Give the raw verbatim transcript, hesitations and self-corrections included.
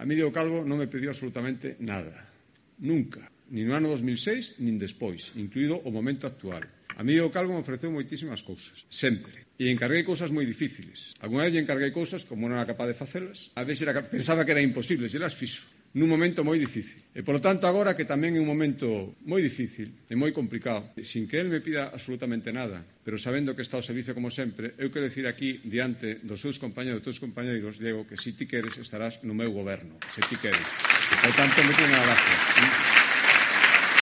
A mí Diego Calvo non me pediu absolutamente nada. Nunca. Nin no ano dos mil seis, nin despois, incluído o momento actual. A mí Diego Calvo me ofreceu moitísimas cousas. Sempre. E encarguei cousas moi difíciles. Alguna vez lle encarguei cousas como non era capaz de facelas. A veces era, pensaba que era imposible, e las fixo. Nun momento moi difícil. E, polo tanto, agora que tamén é un momento moi difícil e moi complicado, sin que él me pida absolutamente nada, pero sabendo que está ao servicio como sempre, eu quero decir aquí, diante dos seus compañeros, dos teus compañeros, Diego, que se ti queres estarás no meu goberno, se ti queres. Por tanto, me ten a gracia.